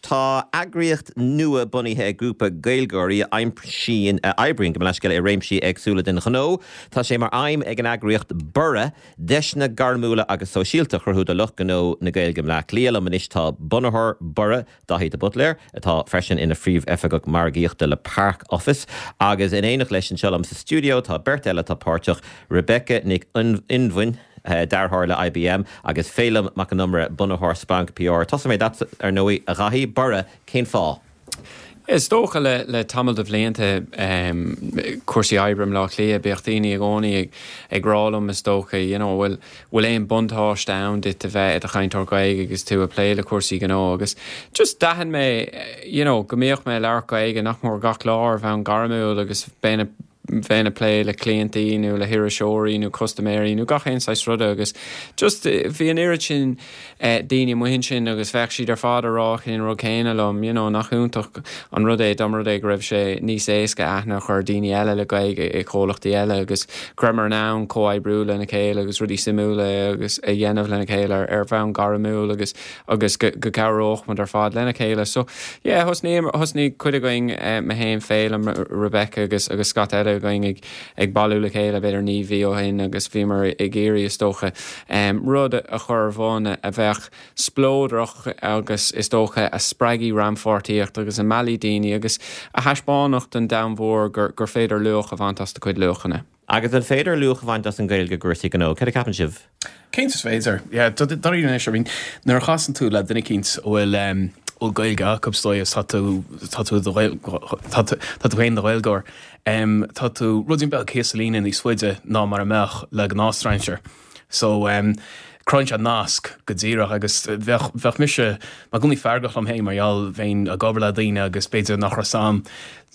tá eagraíocht nua bunaithe ag grúpa Gaeilgeoirí a aimsíonn, a oibríonn, gabh mo leithscéal, i réimsí éagsúla den ghnó. Tá sé mar aidhm ag an eagraíocht Borradh deiseanna gairmiúla agus sóisialta a chruthú do lucht gnó na Gaeilge i mBleá Cliath. Liom anois tá bunaitheoir Borradh, Daithí de Buitléir, atá freisin ina Phríomhoifigeach Margaíochta le Park Office, agus in éineacht leis anseo liom sa stiúideo tá beirt eile atá páirteach, Rebecca Nic Fhionnghain, dearthóir le IBM, agus Féilim Mac Con Iomaire, bunaitheoir Splanc PR. Tosóidh mé leatsa, ar ndóigh, a Dhaithí. Borradh, cén fáth? Is dócha le le tamall de bhlianta, cúrsaí oibre i mBleá Cliath, bíodh daoine i gcónaí ag rá liom is dócha, you know, bhfuil bhfuil aon buntáiste ann duit a bheith i do chainteoir Gaeilge agus tú ag plé le cúrsaí gnó agus just d'aithin mé, you know, go mbíodh mé ag labhairt Gaeilge nach mór gach lá ar bhonn gairmiúil agus bheinn bheinn ag plé le cliantaí nó le hiriseoirí nó custaiméirí nó gach aon saghas ruda agus just bhí an oiread sin daoine amuigh ansin agus bheadh siad ar fad ag rá an rud céanna liom, you know, nach iontach an rud é dá mba rud é go raibh sé níos éasca aithne a chur ar daoine eile le Gaeilge i comhlachtaí eile agus go rabhamar in ann comhoibriú lena chéile agus rudaí suimiúla agus a dhéanamh lena chéile ar ar bhonn gairmiúil agus agus go go gcabhródh muid ar fad lena chéile. So yeah, thosnaíomar, thosnaigh cuid againn, mé féin, Féilim, Rebecca agus agus scata eile againn ag ag bailiú le chéile b'fhéidir 9 mhí ó shin agus bhíomar ag iarraidh is dócha rud a chur ar bun a bheadh spleodrach agus is dócha a spreagfaidh rannpháirtíocht agus a meallfaidh daoine agus a thaispeánfadh don domhan mhór gur gur féidir luach a bhaint as do chuid luachanna. Agus an féidir luach a bhaint as an Ghaeilge i gcúrsaí gnó? Céard a cheapann sibh? Cinnte is féidir. Yeah, dáiríre anois, I mean, nuair a chasann tú le duine eicínt a bhfuil a bhfuil Gaeilge acu is dóigh is tá tú tá tú i do tá tú tá tú féin i do Ghaeilgeoir, tá tú ruidín beag thíos sa líne níos faide ná mar a mbeadh le gnáth-strainséir. So, cruthaíonn sé nasc go díreach agus bheadh bheadh mise i gcónaí feargach liom féin mar gheall bheinn ag obair le daoine agus b'fhéidir nach raibh a fhios a'm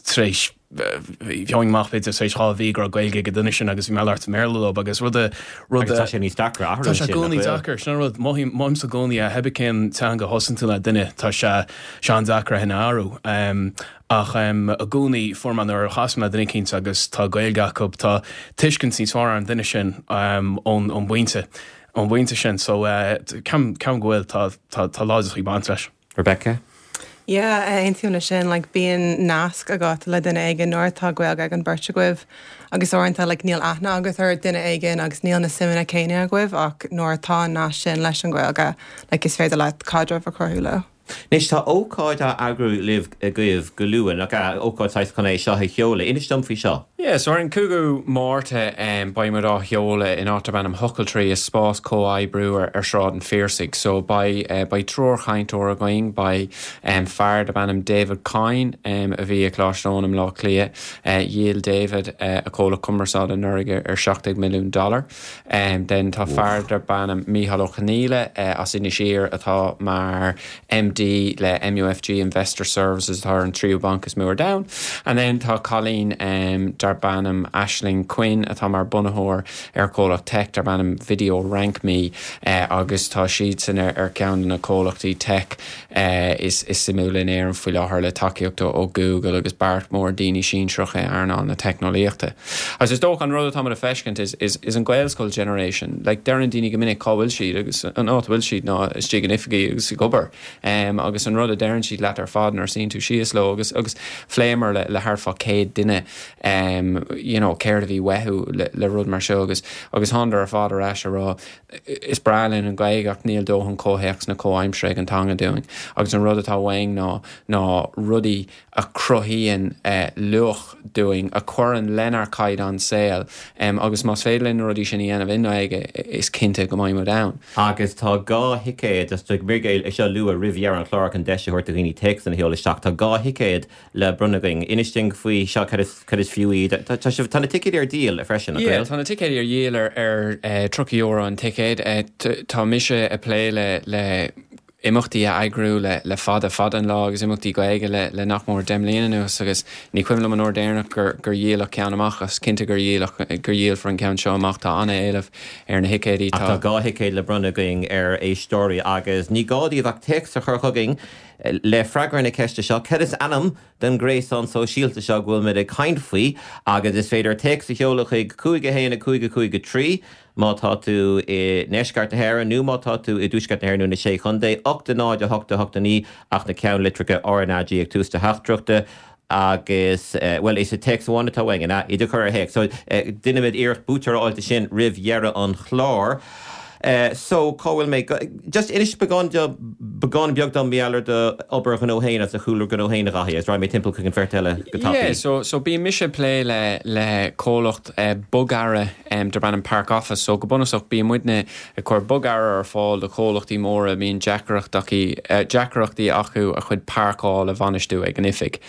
tar éis gheobhainn amach b'fhéidir tar éis 2 mhí go raibh Gaeilge ag an duine sin agus bhí mé ag labhairt i mBéarla leo agus rud a rud a Agus tá sé níos deacra athrú Tá sé i gcónaí deacair, sin an rud, mothaím mothaímsa i gcónaí é, pé cén teanga a thosaíonn tú le duine tá sé sé an-deacair é sin a athrú. Ach i gcónaí fuair mé nuair a chasaim le duine eicínt agus tá Gaeilge acu tá tuiscint níos fearr ar an duine sin ón ón bpointe ón bpointe sin so ceapaim ceapaim go bhfuil tá tá tá láidreachtaí ag baint leis. Rebecca? Yeah, aontaím leis sin, like bíonn nasc agat le duine éigin nuair atá Gaeilge ag an beirt agaibh agus uaireanta like níl aithne agat ar duine éigin agus níl na suimeanna céanna agaibh ach nuair atá an nasc sin leis an Ghaeilge like is féidir leat caidreamh a chruthú leo. Anois tá ócáid á eagrú libh agaibh go luath, nach ea? Ócáid saghas chun é seo a sheoladh. Inis dom faoi seo. Yeah, so ar an 5ú Márta beidh muid á sheoladh in áit darb ainm Ochiltree, is spás comhoibriú ar Sráid an Phiarsaigh. So beidh beidh triúr chainteoir againn, beidh fear darb ainm David Coyne a bhí ag Coláiste Eoin i mBleá Cliath, dhíol David a chomhlacht cumarsáide anuraidh ar 17 milliún dollar. Then tá fear darb ainm Mícheál Ó Conghaile as Inis Oírr atá mar MD le MUFG Investor Services atá ar an tríú banc is mó ar domhan. And then tá cailín darb ainm Aisling Quinn atá mar bunaitheoir ar chomhlacht tech darb ainm Video Rank Me agus tá siadsan ar cheann de na comhlachtaí tech is suimiúla in Éirinn faoi láthair le tacaíocht ó Google agus beart mór daoine sinsearacha i earnáil na teicneolaíochta. Agus is dócha an rud atá muid a feiscint is is an Gaelscoil generation. Like deireann daoine go minic cá bhfuil siad agus an áit a bhfuil siad ná istigh in oifigí agus ag obair. Agus an rud a deireann siad leat ar fad nuair a suíonn tú síos leo agus agus phléamar le le thart fá 100 duine you know céard a bhí uathu le le rud mar seo agus agus thánadar ar fad ar ais a rá Is breá linn an Ghaeilge ach níl dóthain comhthéacs na comhaimsire ag an teanga dúinn agus an rud atá uainn ná ná rudaí a chruthaíonn luach dúinn, a chuireann lenár caighdeán saoil agus más féidir linn na rudaí sin a dhéanamh i nGaeilge is cinnte go mbeidh muid ann. Agus tá 2 thicéad, just mé é seo a lua roimh dheireadh an chláir chun deis a thabhairt do dhaoine téacsanna a sheoladh isteach, tá 2 thicéad le bronnadh againn. Inis dúinn faoi seo, cad is, cad is fiú iad. Tá, tá sibh, tá na ticéid ar díol freisin, nach Yeah, bhfuil? tá na ticéid ar dhíol ar, ar €30 an ticéad. Tá mise ag plé le, le imeachtaí a eagrú le, le fada, fada an lá agus imeachtaí Gaeilge le, le nach mór 10 mbliana anuas agus ní cuimhin liom an uair deireanach gur, gur dhíoladh ceann amach ach is cinnte gur dhíoladh, gur dhíolfar an ceann seo amach. Tá an-éileamh ar na thicéidí. Ach tá 2 thicéad le bronnadh againn ar éisteoirí agus ní gá daoibh ach téacs a chur chugainn Le freagra na ceiste seo, cad is ainm don ghréasán sóisialta seo go bhfuil muid ag caint faoi? Agus is féidir téacs a sheoladh chuig 5 1 5 5 3. Má tá tú i ndeisceart na hÉireann nó má tá tú i dtuaisceart na hÉireann nó na Sé Chontae, 8 0 8 8 9 ach na ceannlitreacha RnaG ag tús do theachtaireachta agus, bhuel, is téacs amháin atá uainn, an ea? Iad a chur ar théacs. So, déanfaimid iarracht buaiteoir a fháil de sin roimh dheireadh an chláir. So, cá bhfuil mé? Just inis beagán, beagán beag dom mar gheall ar do obair ghnó féin agus do chúlra gnó féin, a Dhaithí, agus raghaidh mé timpeall chuig an bheirt eile go tapaidh. Yeah, so, so bíonn mise ag plé le, le comhlacht bogearra darb ainm Park Office. So, go bunúsach, bíonn muidne ag cur bogearra ar fáil do chomhlachtaí móra a mbíonn deacrachtaí acu a chuid páirceáil a bhainistiú ag an oifig.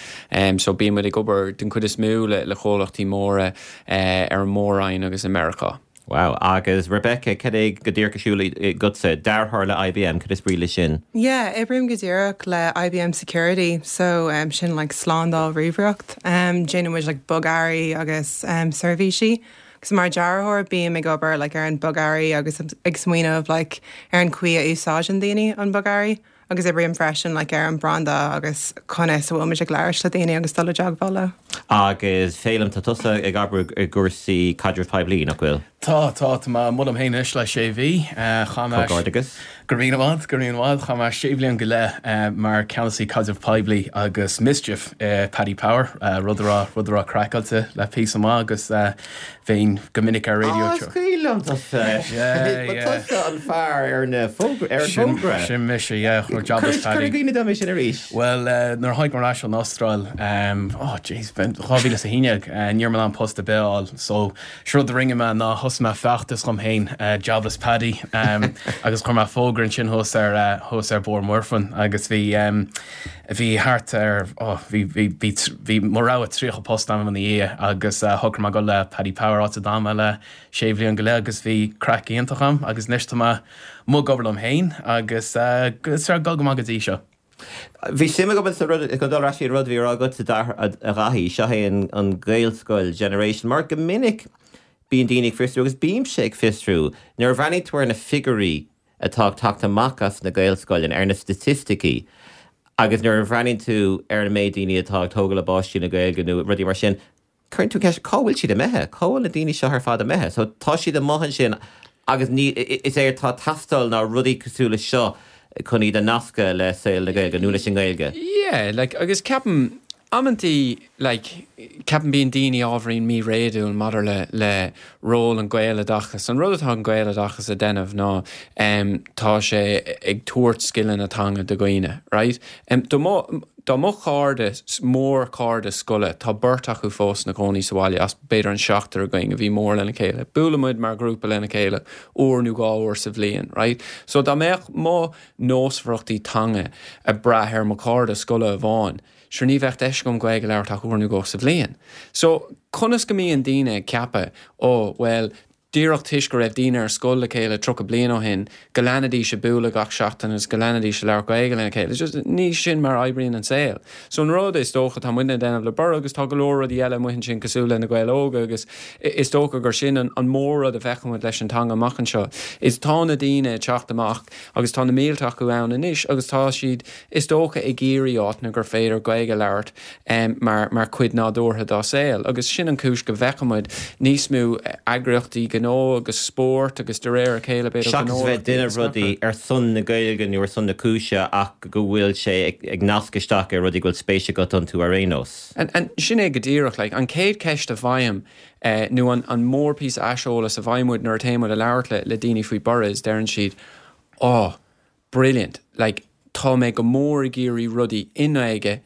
So, bíonn muid ag obair den chuid is mó le, le comhlachtaí móra ar an Mór-Roinn agus i Meiriceá. Wow. Agus Rebecca, cad é go díreach ar siúl agatsa? Dearthóir le IBM, cad is brí leis sin? Yeah, oibrím go díreach le IBM Security, so um, sin like slándáil ríomhaireacht. Um, déanann muid like bogearraí agus um, seirbhísí. Agus mar dearthóir bím ag obair like ar an bogearraí agus ag smaoineamh like ar an chaoi a úsáideann daoine an bogearraí. Agus oibrím freisin like ar an branda agus conas a bhfuil muid ag labhairt le daoine agus dul i dteagmháil leo. Agus Féilim, tá tusa ag obair i gcúrsaí caidrimh poiblí, nach bhfuil? Tá, tá, tá mé amuigh liom féin anois le sé mhí. Chaith mé. Comhghairdeachas. Go raibh míle maith, go raibh míle maith. Chaith mé sé bhliain go leith mar ceannasaí caidrimh poiblí agus mischief i Paddy Power, rud a raibh, rud a raibh craiceáilte le píosa maith agus bheinn go minic ar raidió. Á, is cuimhin liom tusa. Yeah, yeah. Ba tusa an fear ar na fógra, ar an bhfógra. Sin, sin mise, yeah, chuir Jobless Paddy. Cuir i gcuimhne dom é sin arís. Bhuel, nuair a tháinig mé ar ais ón Astráil, oh jeez, 2011, ní raibh mé in ann post ar bith a fháil, so sé rud a rinne mé ná thosaigh mé feachtas dhom féin, Jobless Paddy, agus chuir mé fógra ansin thuas ar, thuas ar Bóthar Mhuirfean agus bhí, Bhí thart ar, oh, bhí, bhí, bhí, bhí mo rogha 30 post agam ina dhiaidh agus shocraigh mé dul le Paddy Power, áit a d'fhan mé le sé bhliain go leith agus bhí craic iontach agam agus anois tá mé amuigh ag obair liom féin agus tá sé ag dul go maith go dtí seo. Bhí suim agam sa rud, chun dul ar ais chuig an rud a bhí á rá agatsa a Dhaithí, seo é an Gaelscoil Generation, mar go minic bíonn daoine ag fiosrú agus bímse ag fiosrú nuair a bhreathnaíonn tú ar na figiúirí atá ag teacht amach as na Gaelscoileanna, ar na staitisticí agus nuair a bhreathnaíonn tú ar an méid daoine atá ag tógáil a bpáistí le Gaeilge nó rudaí mar sin, cuireann tú ceist, cá bhfuil siad imithe? Cá bhfuil na daoine seo ar fad imithe? So tá siad amuigh ansin agus ní, is é atá ag teastáil ná rudaí cosúil le seo chun iad a nascadh le saol na Gaeilge nó leis an nGaeilge. Yeah, like, agus ceapaim, amantaí, like, ceapaim bíonn daoine ábhairín míréadúil maidir le, le ról an Ghaeloideachas. An rud atá an Gaeloideachas a déanamh ná, em, tá sé ag tabhairt scileanna teanga do dhaoine, right? Em, do mo, do mo chairde, mórchairde scoile, tá beirt acu fós ina gcónaí sa bhaile as b'fhéidir an seachtar againn a bhí mór lena chéile. Buaileann muid mar ghrúpa lena chéile uair nó dhá uair sa bhliain, right? So dá mbeadh mo nósmhaireachtaí teanga ag brath ar mo chairde scoile amháin, sure ní bheadh deis agam Gaeilge a labhairt ach uair nó dhó sa bhliain. So, conas go mbíonn daoine ag ceapadh, oh, bhuel, díreach toisc go raibh daoine ar scoil le chéile 30 bliain ó shin, go leanfaidís ag bualadh gach seachtain agus go leanfaidís ag labhairt Gaeilge lena chéile. Just, ní sin mar a oibríonn an saol. So an rud is dócha atá muidne ag déanamh le Borradh agus tá go leor rudaí eile amuigh ansin cosúil le Na Gaeil Óga agus is dócha gur sin an, an mór-rud a bhfeicfidh muid leis an teanga amach anseo, is tá na daoine ag teacht amach agus tá na mílte acu ann anois agus tá siad is dócha, ag iarraidh áiteanna gur féidir Gaeilge a labhairt mar mar chuid nádúrtha dá saol agus sin an chúis go bhfeicfidh muid níos mó eagraíochtaí gnó agus spóirt agus de réir a chéile b'fhéidir Seachas bheith ag déanamh rudaí ar son na Gaeilge nó ar son na cúise ach go bhfuil sé ag nasc isteach ar rudaí go bhfuil spéis agat iontu ar aon nós. And sin é go díreach, like, an chéad cheist a bhfaighim nó an an mórphíosa aiseolais a bhfaigheann muid nuair a théann muid a labhairt le le daoine faoi Borradh is deireann siad, oh, brilliant, like tá mé go mór ag iarraidh rudaí i nGaeilge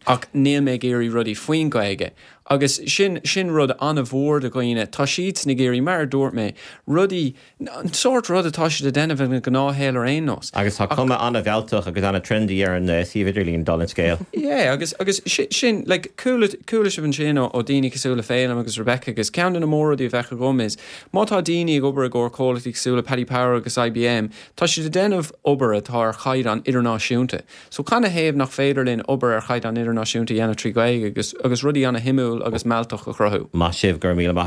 ach níl mé ag iarraidh rudaí faoin Ghaeilge. Agus sin, sin rud an-mhór do dhaoine, tá siadsan ag iarraidh, mar a dúirt mé, rudaí, an sórt rud atá siad a déanamh ina ngnáthshaol ar aon nós. Agus tá cuma an-mhealltach agus an-trendy ar an suíomh idirlín, dála an scéil. Yeah, agus, agus sin, like, chuala, chuala sibh ansin ó, ó daoine cosúil le Féilim agus Rebecca agus ceann de na mór-rudaí a bheadh agam is, má tá daoine ag obair i gcomhair comhlachtaí cosúil le Paddy Power agus IBM, Tá siad ag déanamh obair atá ar chaighdeán idirnáisiúnta. So canathaobh nach féidir linn obair ar chaighdeán idirnáisiúnta a dhéanamh trí Ghaeilge agus agus rudaí ana-shuimiúil agus mealltach a chruthú? Maith sibh, go raibh míle maith.